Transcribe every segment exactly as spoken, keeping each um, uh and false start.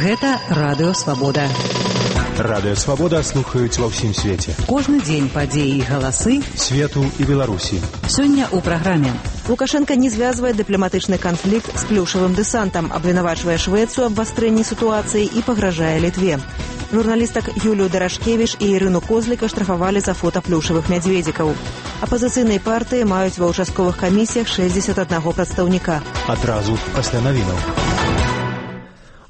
Гэта Радыё Свабода. Радыё Свабода слухаюць ва ўсім свеце. Кожны дзень падзеі і галасы свету і Беларусі. Сёння ў праграме. Лукашенко не звязвае дыпламатычны канфлікт з плюшавым дэсантам, абвінавачвае Швецыю аб абвастрэнні сітуацыі і пагражае Літве. Журналістак Юлію Дарашкевіч і Ірыну Козліка штрафавалі за фота плюшавых мядзведзікаў. Апазіцыйныя партыі маюць ва ўчастковых камісіях шэсцьдзесят аднаго прадстаўніка. Адразу пасля навінаў.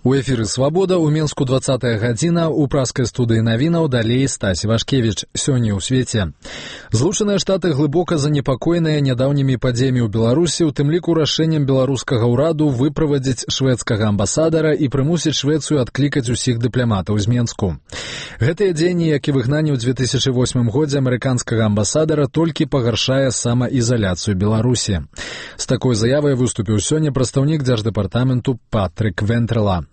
У эфіры «Свабода» ў Мінску двадцатая гадзіна, у праскай студыі навінаў далей Стась Вашкевіч. Сёння ў свеце. Злучаныя Штаты глыбока занепакоеныя нядаўнімі падзеямі ў Беларусі, у тым ліку рашэннем беларускага ўраду выправадзіць шведскага амбасадара і прымусіць Швецыю адклікаць усіх дыпламатаў з Менску. Гэтыя дзеянні, як і выгнанне ў дзве тысячы восьмым годзе амерыканскага амбасадара, толькі пагаршае самаізаляцыю Беларусі. З такой заявай выступіў сёння прадстаўнік дзярждэпартаменту Патрык Вентрела.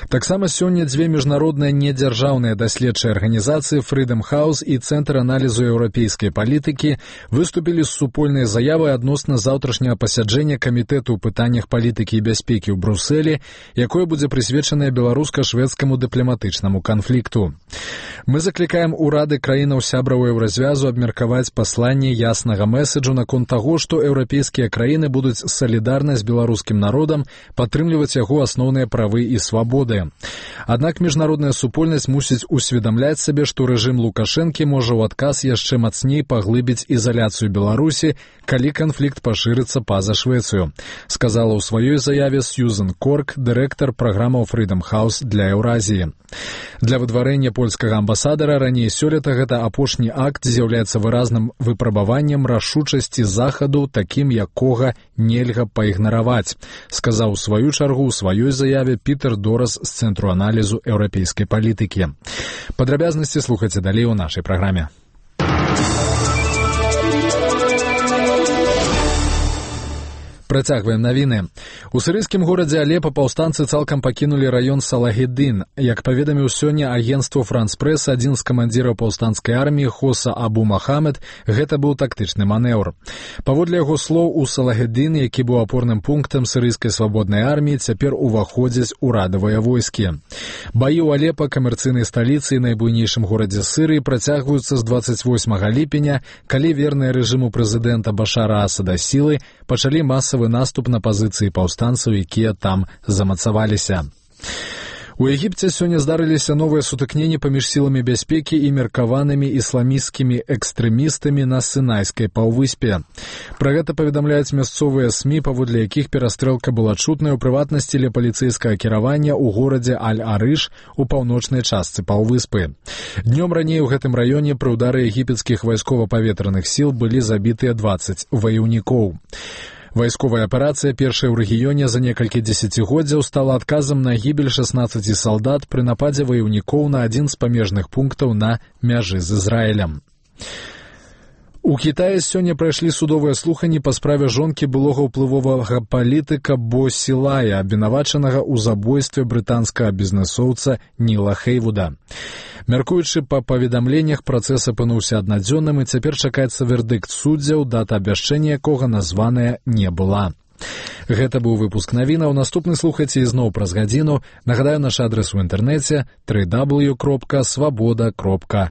Таксама сёння дзве міжнародныя недзяржаўныя даследчыя арганізацыі Freedom House і Цэнтр аналізу еўрапейскай палітыкі выступілі з супольнай заявай адносна заўтрашняга пасяджэння камітэту ў пытаннях палітыкі і бяспекі ў Брусэлі, якое будзе прысвечанае беларуска-шведскаму дыпламатычнаму канфлікту. Мы заклікаем урады краінаў сябраў еўразвязу абмеркаваць пасланне яснага мэсэджу наконт таго, што еўрапейскія краіны будуць салідарна з беларускім народам падтрымліваць яго асноўныя правы і свабоды. Аднак міжнародная супольнасць мусіць усведамляць сабе, што рэжым Лукашэнкі можа ў адказ яшчэ мацней паглыбіць ізаляцыю Беларусі, калі канфлікт пашырыцца па-за Швецыю, сказала ў сваёй заяве Сьюзен Корк, дырэктар праграмаў Freedom House для Еўразіі. Для выдварэння польскага амбасадара раней сёлета гэта апошні акт з'яўляецца выразным выпрабаваннем рашучасці захаду, такім якога нельга пайгнараваць, сказаў у сваю чаргу ў сваёй заяве Пітер Дорас з Цэнтру аналізу еўрапейскай палітыкі. Падрабязнасці слухайце далей у нашай праграме. Працягваем навіны. У сірыйскім горадзе Алепа паўстанцы цалкам пакінулі раён Салахеддин. Як паведаміў сёння агенцтву Франс Прэс, адзін з камандзіраў паўстанцкай арміі Хоса Абу Махамед, гэта быў тактычны манеўр. Паводле яго слоў, у Салахеддин, які быў апорным пунктам сірыйскай свабоднай арміі, цяпер уваходзяць урадавыя войскі. Баі ў Алепа, камерцыйнай сталіцы і найбуйнейшым горадзе Сірыі, працягваюцца з дваццаць восьмага ліпеня, калі верныя рэжыму прэзідэнта Башара Асада сілы пачалі масава наступ на пазіцыі паўстанцаў, якія там замацаваліся. У Егіпце сёння здарыліся новыя сутыкненні паміж сіламі бяспекі і меркаванымі ісламісцкімі экстрэмістамі на Сінайскай паўвыспе. Пра гэта паведамляюць мясцовыя СМІ, паводле якіх перастрэлка была чутная ў прыватнасці ля паліцэйскага кіравання ў горадзе Аль-Арыш у паўночнай частцы паўвыспы. Днём раней у гэтым раёне пры ўдары егіпецкіх вайскова-паветраных сіл былі забітыя дваццаць ваяўнікоў. Вайсковая аперацыя, першая ў рэгіёне за некалькі дзесяцігоддзяў, стала адказам на гібель шаснаццаці салдат пры нападзе ваяўнікоў на адзін з памежных пунктаў на мяжы з Ізраілем. У Кітаі сёння прайшлі судовыя слуханні па справе жонкі былога ўплывовага палітыка Бо Сілая, абвінавачанага ў забойстве брытанскага бізнэсоўца Ніла Хейвуда. Мяркуючы па паведамленнях, працэс апынуўся аднадзённым і цяпер чакаецца вердыкт суддзяў, дата абвяшчэння якога названая не была. Гэта быў выпуск навінаў. Наступны слухайце ізноў праз гадзіну. Нагадаю, наш адрес у інтэрнэце дабл ю дабл ю дабл ю кропка свабода кропка